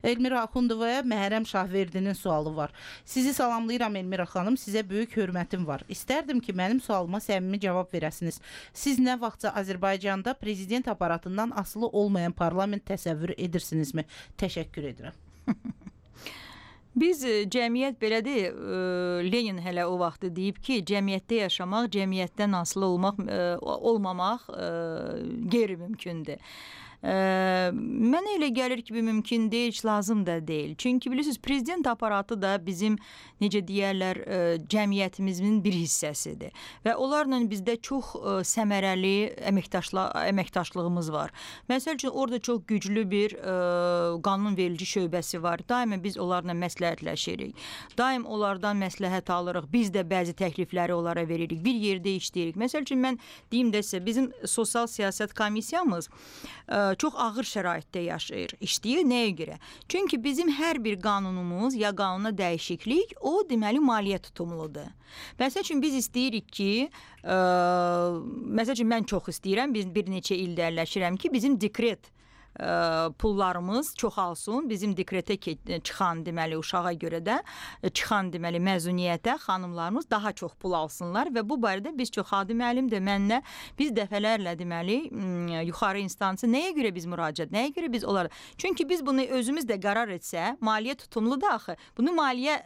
Elmira Axundovaya Məhrəm Şahverdinin sualı var. Sizi salamlayıram Elmira xanım, sizə böyük hörmətim var. İstərdim ki, mənim sualıma səmimi cavab verəsiniz. Siz nə vaxtca Azərbaycanda prezident aparatından asılı olmayan parlament təsəvvür edirsinizmi? Təşəkkür edirəm. Biz cəmiyyət belədir, Lenin hələ o vaxtı deyib ki, cəmiyyətdə yaşamaq, cəmiyyətdən asılı olmamaq qeyri-mümkündür. Mənə elə gəlir ki, bu mümkün deyil, heç lazım da deyil. Çünki bilirsiniz, prezident aparatı da bizim, necə deyərlər, cəmiyyətimizin bir hissəsidir. Və onlarla bizdə çox səmərəli əməkdaşlığımız var. Məsəl üçün, orada çox güclü bir qanunverici şöbəsi var. Daima biz onlarla məsləhətləşirik. Daim onlardan məsləhət alırıq. Biz də bəzi təklifləri onlara veririk. Bir yerdə işləyirik. Məsəl üçün, mən deyim də sizə, bizim sosial siyasət komissiyamız çox ağır şəraitdə yaşayır, işləyir. Nəyə görə? Çünki bizim hər bir qanunumuz ya qanuna dəyişiklik, o deməli maliyyə tutumludur. Məsəl üçün biz istəyirik ki, məsəl üçün mən çox istəyirəm, biz bir neçə ildə əlləşirəm ki, bizim dekret pullarımız çoxalsın. Bizim dekretə çıxan deməli uşağa görə də çıxan deməli məzuniyyətə xanımlarımız daha çox pul alsınlar və bu barədə biz çox Xadi müəllim də mənlə biz dəfələrlə deməli yuxarı instansı nəyə görə biz müraciət, nəyə görə biz onlara. Çünki biz bunu özümüz də qərar etsə, maliyyə tutumlu da axı. Bunu maliyyə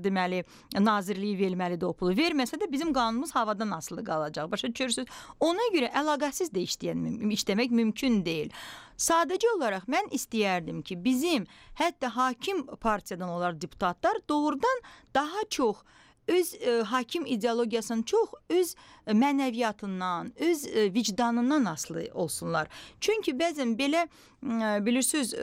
deməli nazirliyi verməlidir o pulu. Verməsə də bizim qanunumuz havadan asılı qalacaq. Başa düşürsüz? Ona görə əlaqəsiz də işləmək mümkün deyil. Sadəcə olaraq mən istəyərdim ki, bizim hətta hakim partiyadan olan deputatlar doğrudan daha çox öz hakim ideologiyasından çox öz mənəviyyatından, öz vicdanından asılı olsunlar. Çünki bəzən belə bilirsiniz,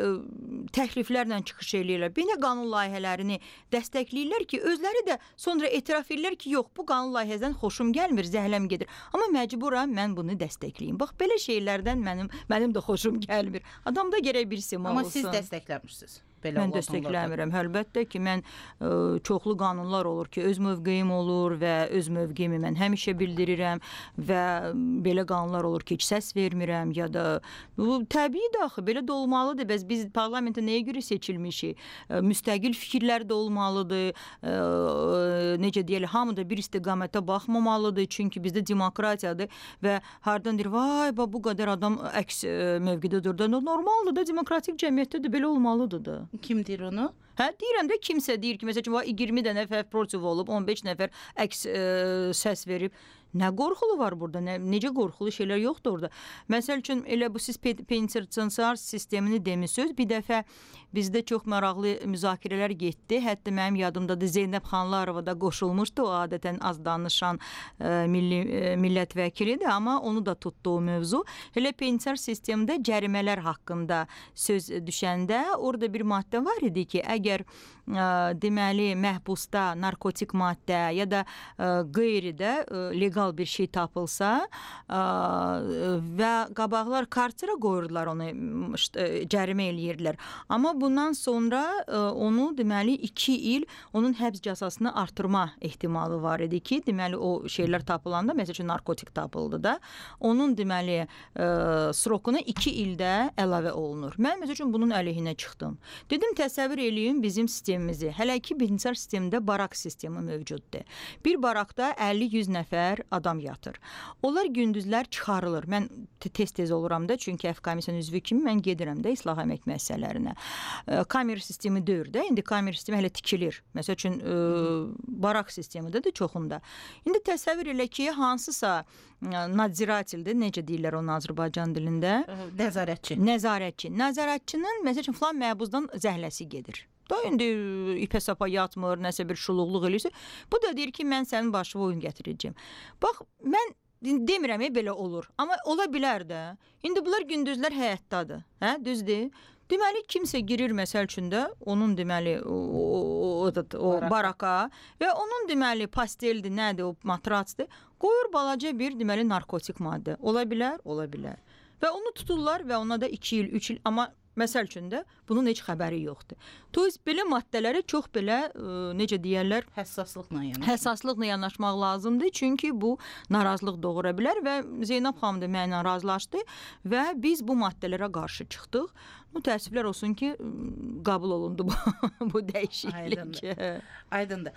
təkliflərlə çıxış eləyirlər. Belə qanun layihələrini dəstəkləyirlər ki, özləri də sonra etiraf edirlər ki, yox, bu qanun layihəsindən xoşum gəlmir, zəhləm gedir. Amma məcburam mən bunu dəstəkləyim. Bax, belə şeylərdən mənim də xoşum gəlmir. Adamda gərək bir sima olsun. Amma siz dəstəkləmirsiniz. Mən dəstəkləmirəm. Əlbəttə ki, mən çoxlu qanunlar olur ki, öz mövqeyim olur və öz mövqeyimi mən həmişə bildirirəm və belə qanunlar olur ki, heç səs vermirəm ya da bu təbiidir axı, belə də olmalıdır. Biz parlamentə nəyə görə seçilmişik? Müstəqil fikirlər də olmalıdır. Necə deyək, hamı da bir istiqamətə baxmamalıdır. Çünki bizdə demokratiyadır və hardan deyir, vay, bu qədər adam əks mövqedə durdu. Normaldır da, demokratik cəmiyyətdə də belə olmalıdır da. Kim deyir onu? Hə, deyirəm də kimsə deyir ki, məsələn, 20 dənə nəfər protiv olub, 15 nəfər əks səs verib. Nə qorxulu var burada? Necə qorxulu şeylər yoxdur orada? Məsəl üçün, elə bu siz penitensiar sistemini demişsiniz. Bir dəfə bizdə çox maraqlı müzakirələr getdi. Hətta mənim yadımdadır, Zeynəb Xanlarova da qoşulmuşdu. O adətən az danışan millət vəkilidir, amma onu da tutdu o mövzu. Elə penitensiar sistemdə cərimələr haqqında söz düşəndə orada bir maddə var idi ki, əgər deməli məhbusda narkotik maddə ya da qeyridə legal bir şey tapılsa və qabaqlar kartira qoyurdular, onu cərimə eləyirdilər. Amma bundan sonra onu deməli 2 il onun həbs cəzasını artırma ehtimalı var idi ki, deməli o şeylər tapılanda, məsəl üçün narkotik tapıldı da, onun deməli srokuna 2 ildə əlavə olunur. Mən məsəl üçün bunun əleyhinə çıxdım. Dedim, təsəvvür eləyin bizim sistemimizi. Hələ ki, penitensiar sistemdə barak sistemi mövcuddur. Bir barakda 50-100 nəfər adam yatır. Onlar gündüzlər çıxarılır. Mən tez-tez oluram da, çünki komissiyanın üzvü kimi mən gedirəm də islah əmək müəssisələrinə. Kamer sistemi deyir də, indi kamer sistemi hələ tikilir. Məsəl üçün, barak sistemidir də çoxunda. İndi təsəvvür elə ki, hansısa nadziratildir, necə deyirlər onu Azərbaycan dilində? Nəzarətçi. Nəzarətçinin, məsəl üçün, filan məhbuzdan zəhləsi gedir. Da indi ipə sapa yatmır, nəsə bir şuluqluq eləyirsə, bu da deyir ki, mən sənin başına oyun gətirəcəm. Bax, mən demirəm, belə olur. Amma ola bilər də. İndi bunlar gündüzlər həyatdadır. Hə, düzdür? Deməli, kimsə girir məsəl üçün də, onun deməli o baraka və onun deməli pasteldir, nədir, o matratsdır, qoyur balaca bir deməli narkotik maddə. Ola bilər, ola bilər. Və onu tuturlar və ona da 2 il, 3 il, amma Məsəl üçün də bunun heç xəbəri yoxdur. To есть belə maddələrə çox belə necə deyirlər, həssaslıqla yanaşmaq lazımdır. Çünki bu narazılıq doğura bilər və Zeynəb xanım da mənimlə razılaşdı və biz bu maddələrə qarşı çıxdıq. Təəssüflər olsun ki, qəbul olundu bu dəyişiklik. Aydındır.